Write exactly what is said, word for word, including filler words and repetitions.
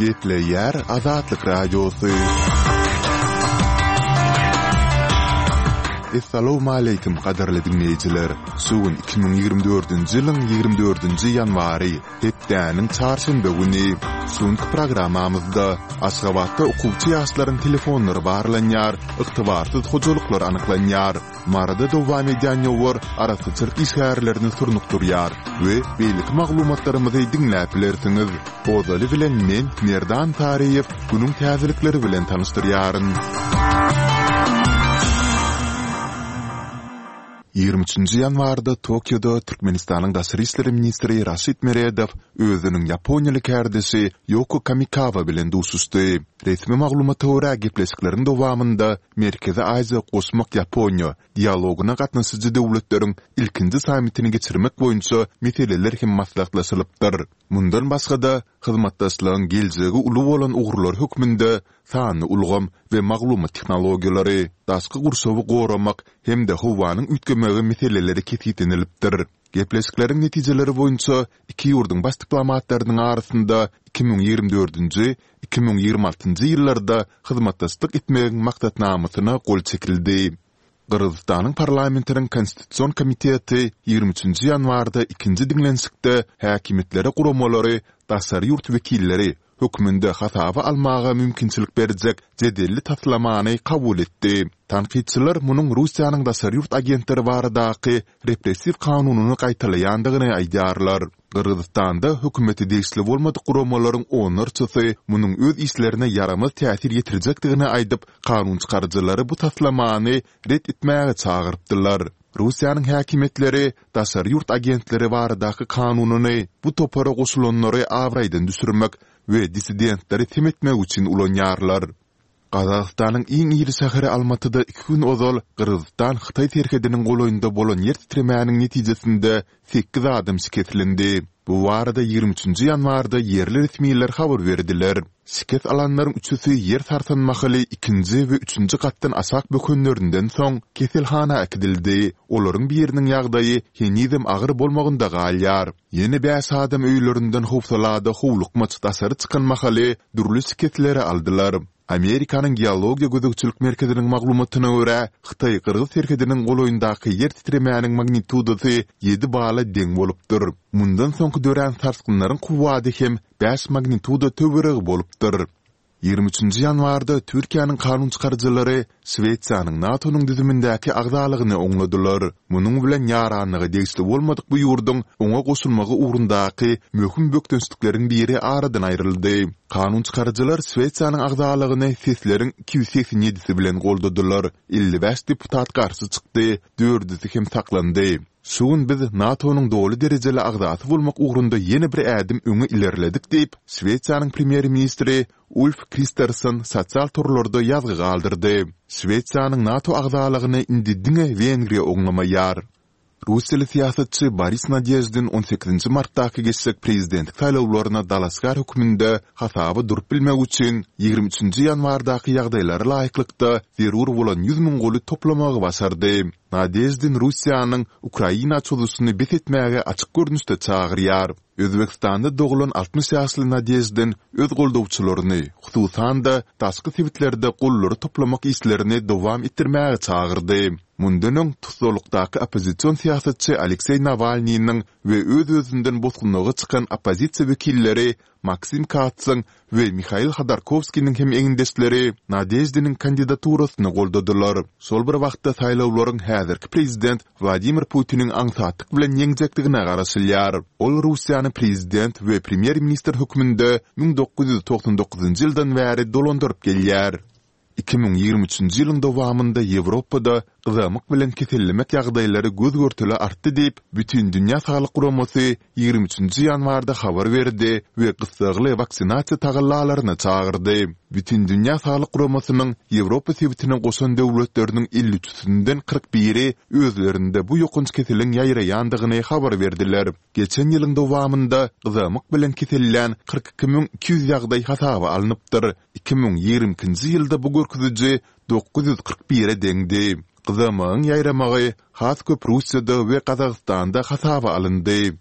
Gepleýär Azatlyk Radiosy. Essalawmaleýkim gadyrly diňleýjiler! Şu gün iki müň ýigrimi dördünji ýylyň ýigrimi dördünji ýanwary, hepdäniň çarşenbe güni. Şu günki programmamyzda Aşgabatda okuwçy ýaşlaryň telefonlary barlanýar, ygtybarsyz hojalyklar anyklanýar. Maryda dowam edýän ýowar arassaçylyk işgärlerini surnukdyrýar we beýleki maglumatlarymyzy diňläp bilersiňiz. Ozaly bilen men, Merdan Saryýew, günüň täzelikleri bilen tanyşdyrýaryn. Ýigrimi üçünji ýanwarda Tokioda Türkmenistanyň daşary işler ministri Raşid Meredow özüniň ýaponiýaly kärdeşi Ýoko Kamikawa bilen duşuşdy. Resmi maglumata görä, gepleşikleriň dowamynda Merkezi Aziýa goşmak Ýaponiýa dialogyna gatnaşyjy döwletleriň ilkinji sammitini geçirmek boýunça meseleler hem maslahatlaşylypdyr. Mundan başga-da, hyzmatdaşlygyň geljegi uly bolan ugurlary hökmünde sanly ulgam we maglumat tehnologiýalary, daşky gurşawy goramak hem-de howanyň üýtgemegi meseleleri kesgitlenilipdir. Gepleşikleriň netijeleri boýunça iki ýurduň baş diplomatlarynyň arasynda iki müň ýigrimi dördünji, iki müň ýigrimi altynjy ýyllarda hyzmatdaşlyk etmegiň maksatnamasyna gol çekildi. Gyrgyzystanyň parlamentiniň Konstitusion komiteti ýigrimi üçünji ýanwarda ikinji diňlenişikde häkimiýetlere guramalary daşary ýurt wekilleri hökmünde hasaba almaga mümkinçilik berjek jedelli taslamany kabul etdi. Tankytçylar munuň Russiýanyň daşary ýurt agentleri baradaky repressiw kanunyny gaýtalaýandygyny aýdýarlar. Gyrgyzystanda hökümete degişli bolmadyk guramalaryň onlarçasy munuň öz işlerine ýaramaz täsir ýetirjekdigini aýdyp, kanunçykaryjylary bu taslamany ret etmäge çagyrypdylar. Russiýanyň häkimiýetleri daşary ýurt agentleri baradaky kanunyny bu topara goşulanlary abraýdan düşürmek we dissidentleri sem etmek üçin ulanýarlar. Gazagystanyň iň iri şäheri Almatyda iki gün ozal Gyrgyzystan-Hytaý serhediniň golaýynda bolan ýer titremäniň netijesinde sekiz adam şikeslendi. Bu barada ýigrimi üçünji ýanwarda ýerli resmiler habar berdiler. Şikes alanlaryň üçüsi ýer sarsan mahaly ikinji we üçünji gatdan aşak bökenlerinden soň keselhana äkidildi. Olaryň biriniň ýagdaýy henizem agyr bolmagynda galýar. Ýene bäş adam öýlerinden howsalada howlukmaç daşary çykan mahaly dürli şikesleri aldylar. Amerikanyň Geologiýa gözegçilik merkeziniň maglumatyna görä, Hytaý-Gyrgyz serhediniň golaýyndaky ýer titremäniň magnitudasy ýedi bala deň bolupdyr. Mundan soňky dörän sarsgynlaryň kuwwady hem bäş magnituda töweregi bolupdyr. Ýigrimi üçünji ýanwarda Türkiýäniň kanunçykaryjylary Şwesiýanyň NATO-nyň düzümindäki agzalygyny oňladylar. Munuň bilen ýaranlyga degişli bolmadyk bu ýurduň oňa goşulmagy ugrundaky möhüm bökdençlikleriň biri aradan aýryldy. Kanunçykaryjylar Şwesiýanyň agzalygyny sesleriň iki ýüz segsen ýedisi bilen goldadylar, elli bäş deputat garşy çykdy, dördüsi hem saklandy. Şu gün biz NATO-nyň doly derejeli agzasy bolmak ugrunda ýene bir ädim öňe ilerledik diýip, Şwesiýanyň premýer-ministri Ulf Kristersson sosial torlarda ýazgy galdyrdy. Şwesiýanyň NATO agzalygyny indi diňe Wengriýa oňlamaýar. Russiýaly syýasatçy Boris Nadeždin on sekizinji martdaky geçjek prezidentlik saýlawlaryna dalaşgär hökmünde hasaba durup bilmek üçin ýigrimi üçünji ýanwardaky ýagdaýlara laýyklykda zerur bolan ýüz müň goly toplamagy başardy. Nadeždin Russiýanyň Ukraina çozuşyny bes etmäge açyk görnüşde çagyrýar. Özbegistanda doglan altmyş ýaşly Nadeždin öz goldawçylaryny, hususan-da, daşky sebitlerde gollary toplamak işlerini dowam etdirmäge çagyrdy. Mundan öň, tussaglykdaky oppozision syýasatçy Alekseý Nawalnynyň we öz-özünden bosgunlyga çykan oppozisiýa wekilleri Maksim Katsyň we Mihail Hodorkowskiniň hem egindeşleri Nadeždiniň kandidaturasyny goldadylar. Şol bir wagtda saýlawlaryň häzirki prezident Wladimir Putiniň aňsatlyk bilen ýeňjekdigine garaşylýar. Ol Russiýany prezident we premýer-ministr hökmünde müň dokuz ýüz togsan dokuzynjy ýyldan bäri dolandyryp gelýär. Iki müň ýigrimi üçünji ýylyň dowamynda Ýewropada gyzamyk bilen kesellemek ýagdaýlary göz-görtele artdy diýip, Bütindünýä Saglyk Guramasy ýigrimi üçünji ýanwarda habar berdi we gyssagly waksinasiýa tagallalaryna çagyrdy. Bütindünýä Saglyk Guramasynyň Ýewropa sebitine goşan döwletleriniň elli üçüsinden kyrk biri özlerinde bu ýokanç keseliň ýaýraýandygyny habar berdiler. Geçen ýylyň dowamynda gyzamyk bilen kesellän kyrk iki müň iki ýüz ýagdaý hasaba alnypdyr, Iki müň ýigrimi ikinji ýylda bu görkeziji dokuz ýüz kyrk bire deňdi. Gyzamygyň ýaýramagy has köp Russiýada we Gazagystanda hasaba alyndy.